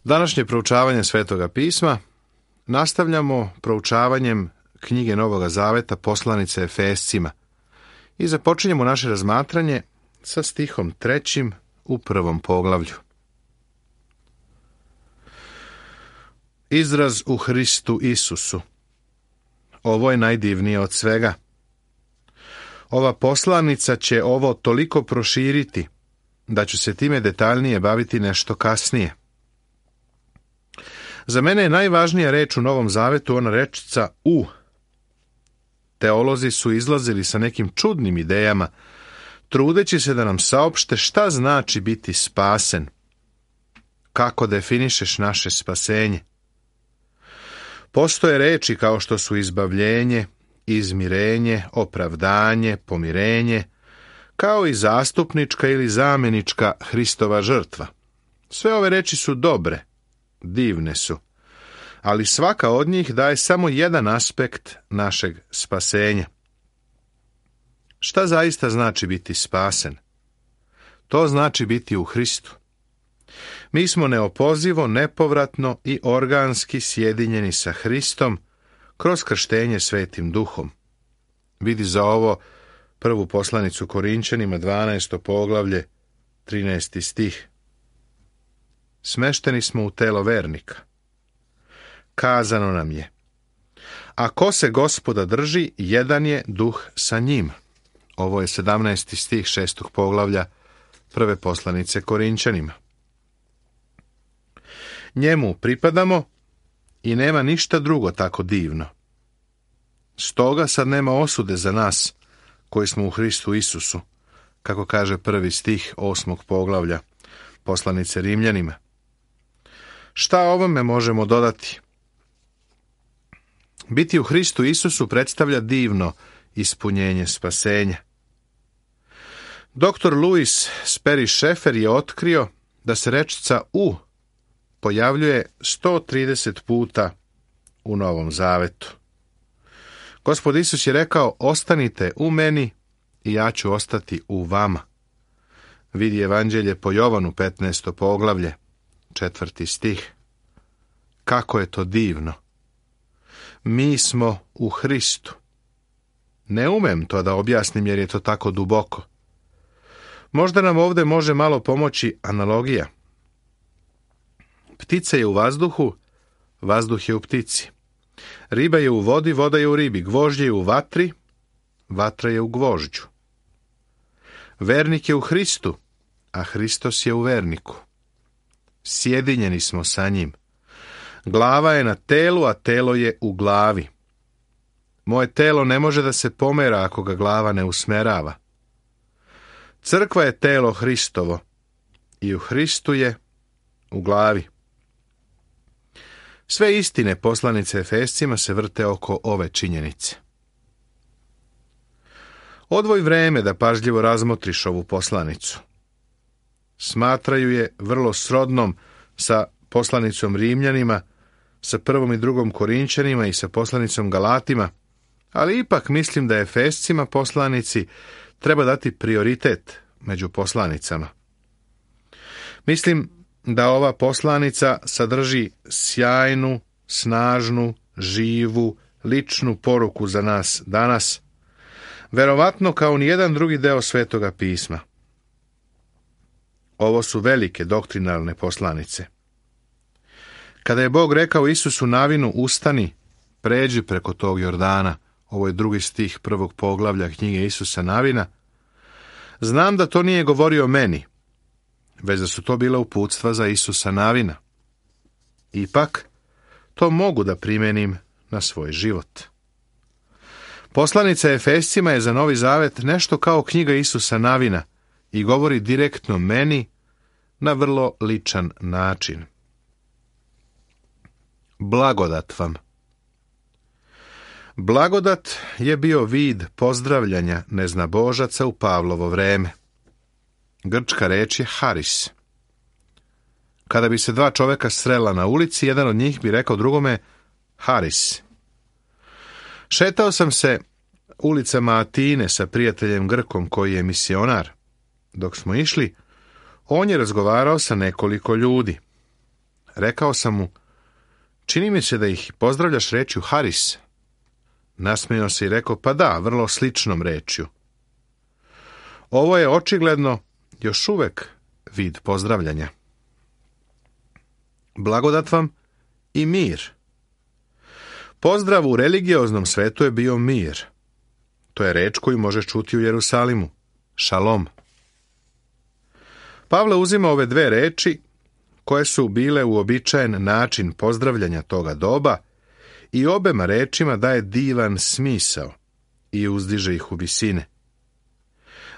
Današnje proučavanje Svetoga pisma nastavljamo proučavanjem knjige Novoga Zaveta poslanice Efescima i započinjemo naše razmatranje sa stihom 3. u 1. poglavlju. Izraz u Hristu Isusu. Ovo je najdivnije od svega. Ova poslanica će ovo toliko proširiti da ću se time detaljnije baviti nešto kasnije. Za mene je najvažnija reč u Novom Zavetu ona rečica u. Teolozi su izlazili sa nekim čudnim idejama, trudeći se da nam saopšte šta znači biti spasen. Kako definišeš naše spasenje? Postoje reči kao što su izbavljenje, izmirenje, opravdanje, pomirenje, kao i zastupnička ili zamjenička Hristova žrtva. Sve ove reči su dobre, divne su, ali svaka od njih daje samo jedan aspekt našeg spasenja. Šta zaista znači biti spasen? To znači biti u Hristu. Mi smo neopozivo, nepovratno i organski sjedinjeni sa Hristom kroz krštenje Svetim Duhom. Vidi za ovo prvu poslanicu Korinčanima, 12. poglavlje, 13. stih. Smešteni smo u telo vernika. Kazano nam je: a ko se Gospoda drži, jedan je duh sa njim. Ovo je 17. stih 6. poglavlja prve poslanice Korinčanima. Njemu pripadamo i nema ništa drugo tako divno. Stoga sad nema osude za nas koji smo u Hristu Isusu, kako kaže prvi stih 8. poglavlja poslanice Rimljanima. Šta ovome možemo dodati? Biti u Hristu Isusu predstavlja divno ispunjenje spasenja. Dr. Louis Sperry Chafer je otkrio da se rečica u pojavljuje 130 puta u Novom Zavetu. Gospod Isus je rekao: ostanite u meni i ja ću ostati u vama. Vidi Evanđelje po Jovanu, 15. poglavlje, 4. stih. Kako je to divno! Mi smo u Hristu. Ne umem to da objasnim jer je to tako duboko. Možda nam ovdje može malo pomoći analogija. Ptica je u vazduhu, vazduh je u ptici. Riba je u vodi, voda je u ribi. Gvožđe je u vatri, vatra je u gvožđu. Vernik je u Hristu, a Hristos je u verniku. Sjedinjeni smo sa njim. Glava je na telu, a telo je u glavi. Moje telo ne može da se pomera ako ga glava ne usmerava. Crkva je telo Hristovo i u Hristu je u glavi. Sve istine poslanice Efescima se vrte oko ove činjenice. Odvoj vreme da pažljivo razmotriš ovu poslanicu. Smatraju je vrlo srodnom sa poslanicom Rimljanima, sa 1. i 2. Korinčanima i sa poslanicom Galatima, ali ipak mislim da Efescima poslanici treba dati prioritet među poslanicama. Mislim da ova poslanica sadrži sjajnu, snažnu, živu, ličnu poruku za nas danas, verovatno kao nijedan drugi deo Svetoga pisma. Ovo su velike doktrinalne poslanice. Kada je Bog rekao Isusu Navinu: ustani, pređi preko tog Jordana, ovo je 2. stih 1. poglavlja knjige Isusa Navina, znam da to nije govorio meni, već da su to bila uputstva za Isusa Navina. Ipak, to mogu da primenim na svoj život. Poslanica Efescima je za Novi Zavet nešto kao knjiga Isusa Navina i govori direktno meni na vrlo ličan način. Blagodat vam. Blagodat je bio vid pozdravljanja neznabožaca u Pavlovo vreme. Grčka reč je haris. Kada bi se dva čoveka srela na ulici, jedan od njih bi rekao drugome haris. Šetao sam se ulicama Atine sa prijateljem Grkom koji je misionar. Dok smo išli, on je razgovarao sa nekoliko ljudi. Rekao sam mu, čini mi se da ih pozdravljaš rečju Haris. Nasmijao se i rekao, pa da, vrlo sličnom rečju. Ovo je očigledno još uvek vid pozdravljanja. Blagodat vam i mir. Pozdrav u religioznom svetu je bio mir. To je reč koju možeš čuti u Jerusalimu. Šalom. Pavle uzima ove dve reči, koje su bile uobičajen način pozdravljanja toga doba, i obema rečima daje divan smisao i uzdiže ih u visine.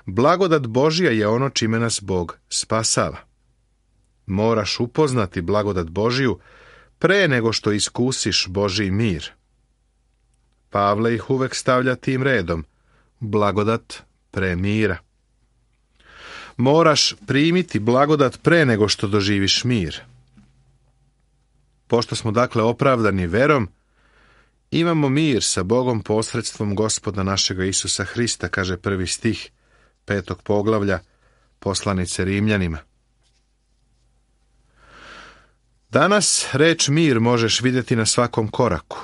Blagodat Božja je ono čime nas Bog spasava. Moraš upoznati blagodat Božiju pre nego što iskusiš Božji mir. Pavle ih uvek stavlja tim redom, blagodat pre mira. Moraš primiti blagodat pre nego što doživiš mir. Pošto smo dakle opravdani verom, imamo mir sa Bogom posredstvom Gospoda našega Isusa Hrista, kaže 1. stih 5. poglavlja poslanice Rimljanima. Danas reč mir možeš vidjeti na svakom koraku.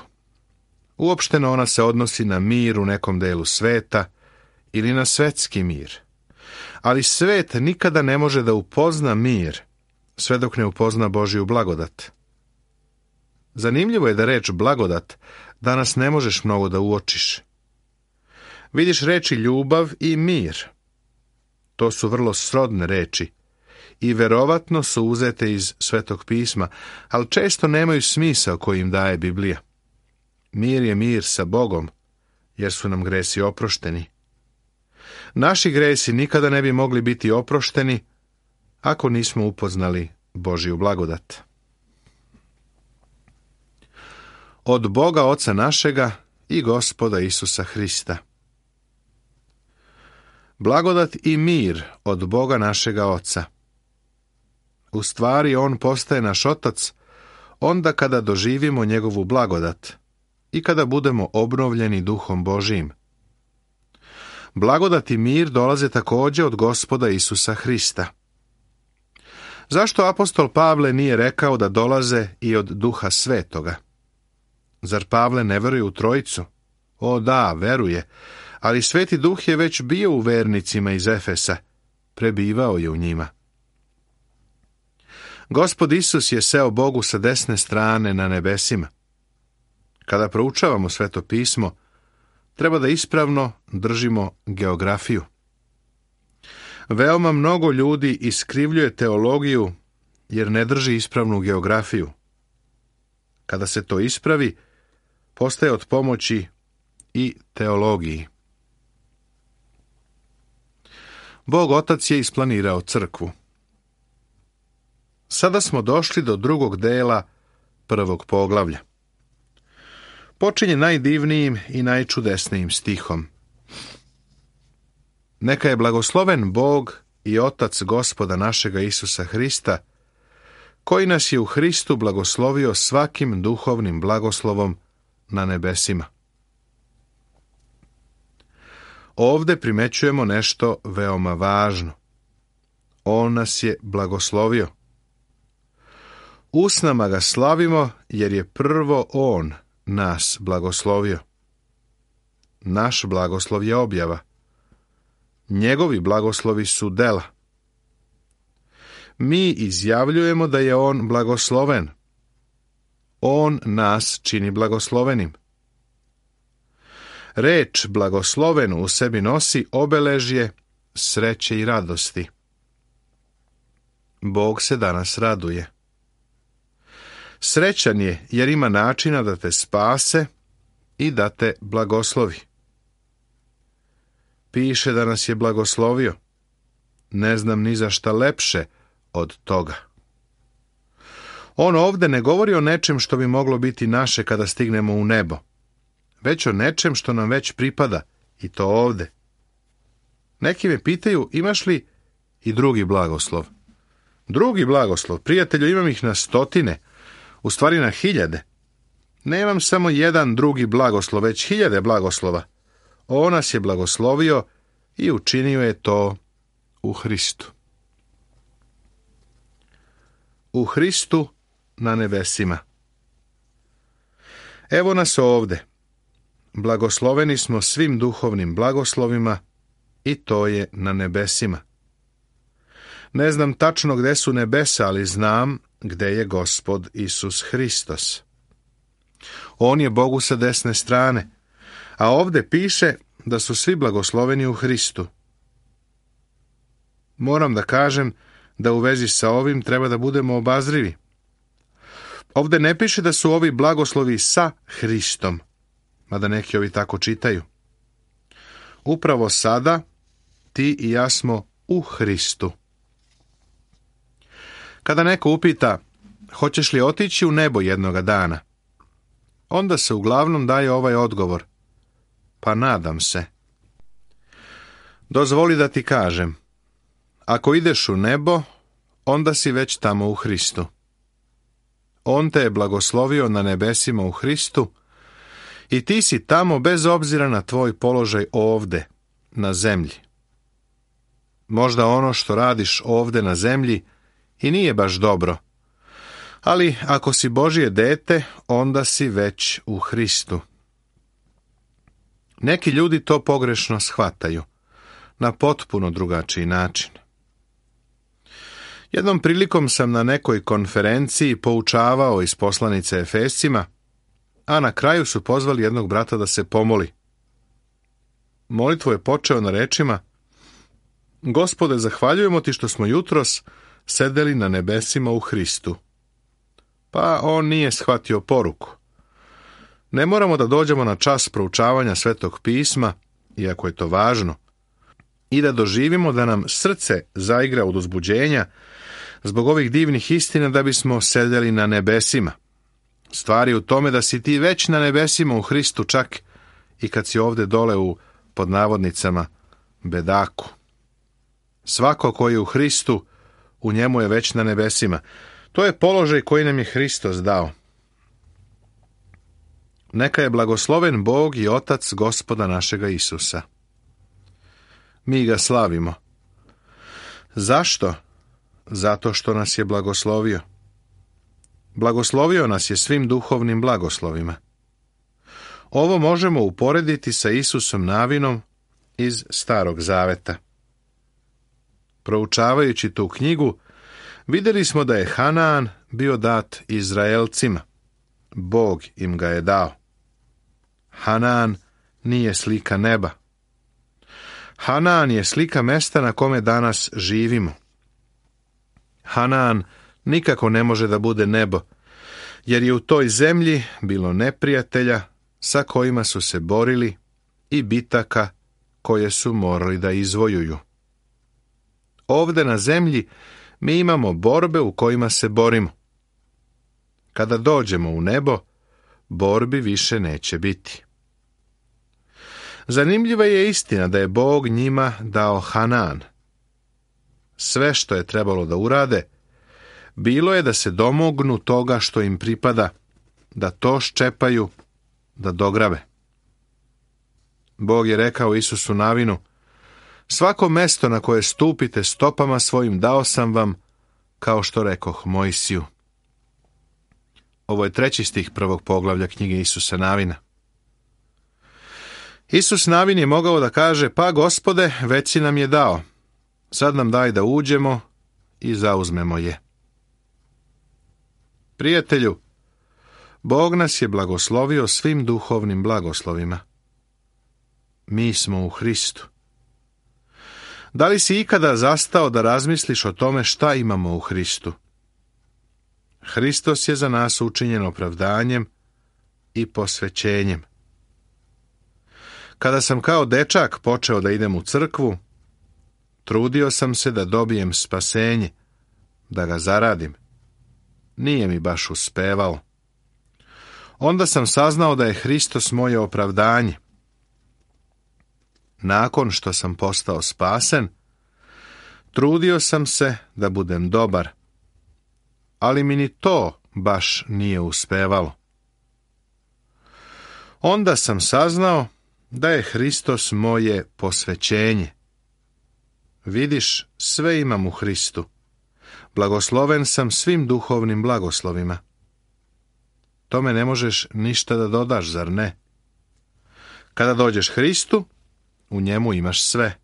Uopšteno ona se odnosi na mir u nekom delu sveta ili na svetski mir. Ali svet nikada ne može da upozna mir, sve dok ne upozna Božju blagodat. Zanimljivo je da reč blagodat danas ne možeš mnogo da uočiš. Vidiš reči ljubav i mir. To su vrlo srodne reči i verovatno su uzete iz Svetog pisma, ali često nemaju smisao koji im daje Biblija. Mir je mir sa Bogom, jer su nam gresi oprošteni. Naši gresi nikada ne bi mogli biti oprošteni ako nismo upoznali Božju blagodat. Od Boga Oca našega i Gospoda Isusa Hrista. Blagodat i mir od Boga našega Oca. U stvari, On postaje naš Otac onda kada doživimo njegovu blagodat i kada budemo obnovljeni Duhom Božijim. Blagodat i mir dolaze također od Gospoda Isusa Hrista. Zašto apostol Pavle nije rekao da dolaze i od Duha Svetoga? Zar Pavle ne veruje u Trojicu? O da, veruje, ali Sveti Duh je već bio u vernicima iz Efesa, prebivao je u njima. Gospod Isus je seo Bogu sa desne strane na nebesima. Kada proučavamo Sveto pismo, treba da ispravno držimo geografiju. Veoma mnogo ljudi iskrivljuje teologiju jer ne drži ispravnu geografiju. Kada se to ispravi, postaje od pomoći i teologiji. Bog Otac je isplanirao crkvu. Sada smo došli do drugog dela 1. poglavlja. Počinje najdivnijim i najčudesnijim stihom. Neka je blagosloven Bog i Otac Gospoda našega Isusa Hrista, koji nas je u Hristu blagoslovio svakim duhovnim blagoslovom na nebesima. Ovde primećujemo nešto veoma važno. On nas je blagoslovio. Usnama ga slavimo jer je prvo On nas blagoslovio. Naš blagoslov je objava. Njegovi blagoslovi su dela. Mi izjavljujemo da je On blagosloven. On nas čini blagoslovenim. Reč blagosloven u sebi nosi obeležje sreće i radosti. Bog se danas raduje. Srećan je jer ima načina da te spase i da te blagoslovi. Piše da nas je blagoslovio. Ne znam ni za šta lepše od toga. On ovde ne govori o nečem što bi moglo biti naše kada stignemo u nebo, već o nečem što nam već pripada, i to ovde. Neki me pitaju, imaš li i drugi blagoslov? Drugi blagoslov, prijatelju, imam ih na stotine, u stvari na hiljade. Nemam samo jedan drugi blagoslov, već hiljade blagoslova. On nas je blagoslovio i učinio je to u Hristu. U Hristu na nebesima. Evo nas ovde. Blagosloveni smo svim duhovnim blagoslovima i to je na nebesima. Ne znam tačno gde su nebesa, ali znam gde je Gospod Isus Hristos. On je Bogu sa desne strane, a ovde piše da su svi blagosloveni u Hristu. Moram da kažem da u vezi sa ovim treba da budemo obazrivi. Ovde ne piše da su ovi blagoslovi sa Hristom, mada neki ovi tako čitaju. Upravo sada ti i ja smo u Hristu. Kada neko upita, hoćeš li otići u nebo jednoga dana, onda se uglavnom daje ovaj odgovor, pa nadam se. Dozvoli da ti kažem, ako ideš u nebo, onda si već tamo u Hristu. On te je blagoslovio na nebesima u Hristu i ti si tamo bez obzira na tvoj položaj ovde, na zemlji. Možda ono što radiš ovde na zemlji i nije baš dobro, ali ako si Božje dete, onda si već u Hristu. Neki ljudi to pogrešno shvataju, na potpuno drugačiji način. Jednom prilikom sam na nekoj konferenciji poučavao iz poslanice Efescima, a na kraju su pozvali jednog brata da se pomoli. Molitvu je počeo na rečima: Gospode, zahvaljujemo ti što smo jutros sedeli na nebesima u Hristu. Pa on nije shvatio poruku. Ne moramo da dođemo na čas proučavanja Svetog pisma, iako je to važno, i da doživimo da nam srce zaigra od uzbuđenja zbog ovih divnih istina da bismo sedeli na nebesima. Stvar je u tome da si ti već na nebesima u Hristu, čak i kad si ovde dole u, pod navodnicama, bedaku. Svako koji je u Hristu, u njemu je već na nebesima. To je položaj koji nam je Hristos dao. Neka je blagosloven Bog i Otac Gospoda našega Isusa. Mi ga slavimo. Zašto? Zato što nas je blagoslovio. Blagoslovio nas je svim duhovnim blagoslovima. Ovo možemo uporediti sa Isusom Navinom iz Starog Zaveta. Proučavajući tu knjigu, vidjeli smo da je Hanaan bio dat Izraelcima. Bog im ga je dao. Hanaan nije slika neba. Hanaan je slika mesta na kome danas živimo. Hanaan nikako ne može da bude nebo, jer je u toj zemlji bilo neprijatelja sa kojima su se borili i bitaka koje su morali da izvojuju. Ovde na zemlji mi imamo borbe u kojima se borimo. Kada dođemo u nebo, borbi više neće biti. Zanimljiva je istina da je Bog njima dao Hanaan. Sve što je trebalo da urade, bilo je da se domognu toga što im pripada, da to ščepaju, da dograbe. Bog je rekao Isusu Navinu: svako mesto na koje stupite stopama svojim dao sam vam, kao što rekoh Mojsiju. Ovo je 3. stih 1. poglavlja knjige Isusa Navina. Isus Navin je mogao da kaže: pa Gospode, već si nam je dao, sad nam daj da uđemo i zauzmemo je. Prijatelju, Bog nas je blagoslovio svim duhovnim blagoslovima. Mi smo u Hristu. Da li si ikada zastao da razmisliš o tome šta imamo u Hristu? Hristos je za nas učinjen opravdanjem i posvećenjem. Kada sam kao dečak počeo da idem u crkvu, trudio sam se da dobijem spasenje, da ga zaradim. Nije mi baš uspevalo. Onda sam saznao da je Hristos moje opravdanje. Nakon što sam postao spasen, trudio sam se da budem dobar, ali mi ni to baš nije uspevalo. Onda sam saznao da je Hristos moje posvećenje. Vidiš, sve imam u Hristu. Blagosloven sam svim duhovnim blagoslovima. tome ne možeš ništa da dodaš, zar ne? Kada dođeš Hristu, u njemu imaš sve.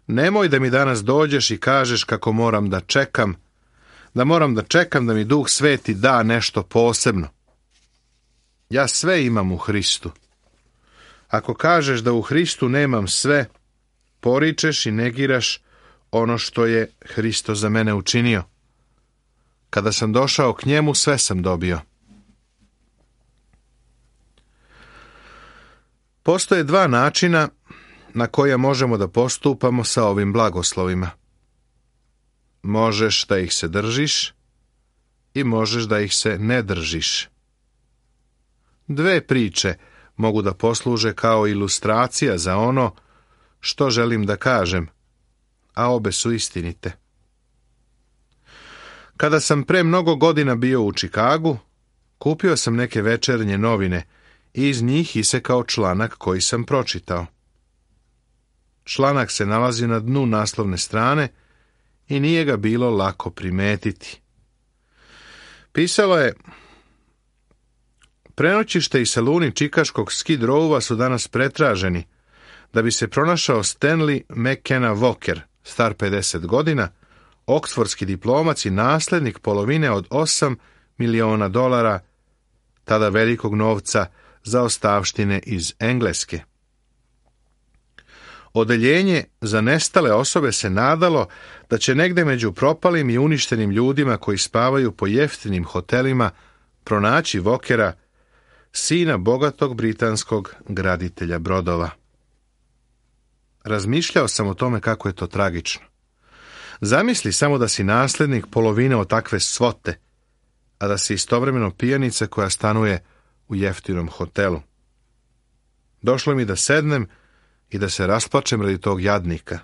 Nemoj da mi danas dođeš i kažeš kako moram da čekam da mi Duh Sveti da nešto posebno. Ja sve imam u Hristu. Ako kažeš da u Hristu nemam sve, poričeš i negiraš ono što je Hristo za mene učinio. Kada sam došao k njemu, sve sam dobio. Postoje dva načina na koje možemo da postupamo sa ovim blagoslovima. Možeš da ih se držiš i možeš da ih se ne držiš. Dve priče mogu da posluže kao ilustracija za ono što želim da kažem, a obe su istinite. Kada sam pre mnogo godina bio u Čikagu, kupio sam neke večernje novine i iz njih isekao članak koji sam pročitao. Članak se nalazi na dnu naslovne strane i nije ga bilo lako primetiti. Pisalo je: prenoćište i saluni čikaškog Skid Rowa su danas pretraženi da bi se pronašao Stanley McKenna Walker, star 50 godina, oksfordski diplomac i naslednik polovine od $8 miliona, tada velikog novca za ostavštine iz Engleske. Odeljenje za nestale osobe se nadalo da će negde među propalim i uništenim ljudima koji spavaju po jeftinim hotelima pronaći Walkera, sina bogatog britanskog graditelja brodova. Razmišljao sam o tome kako je to tragično. Zamisli samo da si naslednik polovine od takve svote, a da si istovremeno pijanica koja stanuje u jeftinom hotelu. Došlo mi da sednem i da se rasplačem radi tog jadnika.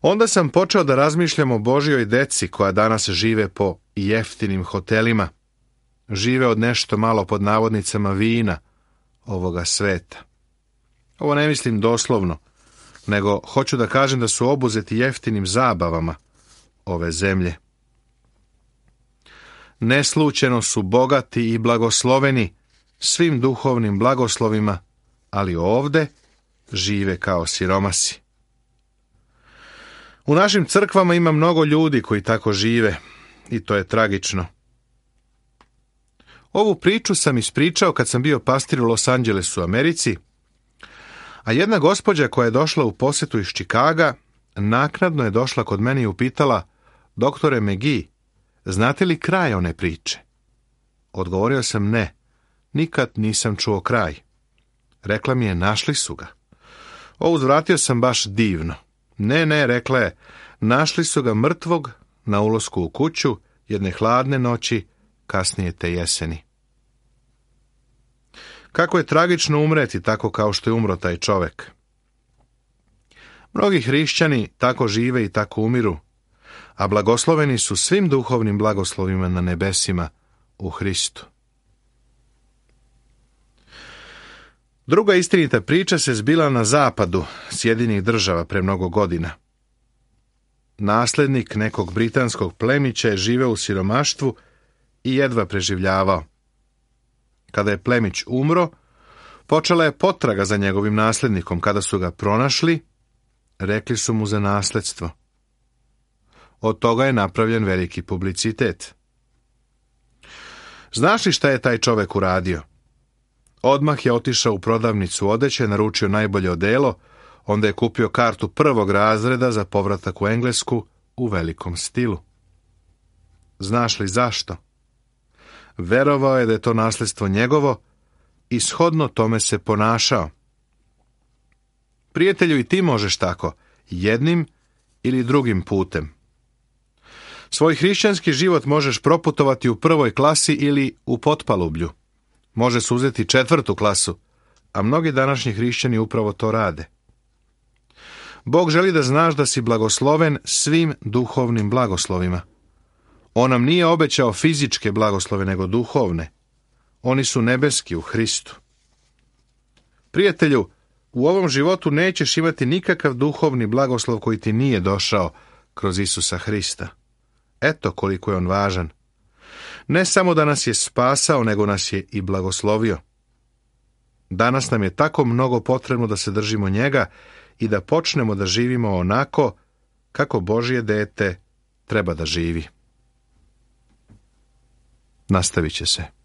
Onda sam počeo da razmišljam o Božjoj deci koja danas žive po jeftinim hotelima. Žive od nešto malo pod navodnicama vina ovoga sveta. Ovo ne mislim doslovno, nego hoću da kažem da su obuzeti jeftinim zabavama ove zemlje. Neslućeno su bogati i blagosloveni svim duhovnim blagoslovima, ali ovde žive kao siromasi. U našim crkvama ima mnogo ljudi koji tako žive i to je tragično. Ovu priču sam ispričao kad sam bio pastir u Los Angelesu, Americi, a jedna gospođa koja je došla u posetu iz Čikaga naknadno je došla kod mene i upitala: doktore McGee, znate li kraj one priče? Odgovorio sam ne, nikad nisam čuo kraj. Rekla mi je: našli su ga. Uzvratio sam baš divno. Ne, rekla je, našli su ga mrtvog na ulasku u kuću jedne hladne noći kasnije te jeseni. Kako je tragično umreti tako kao što je umro taj čovek. Mnogi hrišćani tako žive i tako umiru, a blagosloveni su svim duhovnim blagoslovima na nebesima u Hristu. Druga istinita priča se zbila na zapadu Sjedinjenih Država pre mnogo godina. Naslednik nekog britanskog plemića je živeo u siromaštvu i jedva preživljavao. Kada je plemić umro, počela je potraga za njegovim naslednikom. Kada su ga pronašli, rekli su mu za nasledstvo. Od toga je napravljen veliki publicitet. Znaš li šta je taj čovek uradio? Odmah je otišao u prodavnicu odeće, naručio najbolje odelo, onda je kupio kartu prvog razreda za povratak u Englesku u velikom stilu. Znaš li zašto? Verovao je da je to nasledstvo njegovo i shodno tome se ponašao. Prijatelju, i ti možeš tako, jednim ili drugim putem. Svoj hrišćanski život možeš proputovati u prvoj klasi ili u potpalublju. Može se uzeti 4. klasu, a mnogi današnji hrišćani upravo to rade. Bog želi da znaš da si blagosloven svim duhovnim blagoslovima. On nam nije obećao fizičke blagoslove, nego duhovne. Oni su nebeski u Hristu. Prijatelju, u ovom životu nećeš imati nikakav duhovni blagoslov koji ti nije došao kroz Isusa Hrista. Eto koliko je on važan. Ne samo da nas je spasao, nego nas je i blagoslovio. Danas nam je tako mnogo potrebno da se držimo njega i da počnemo da živimo onako kako Božje dete treba da živi. Nastavit će se.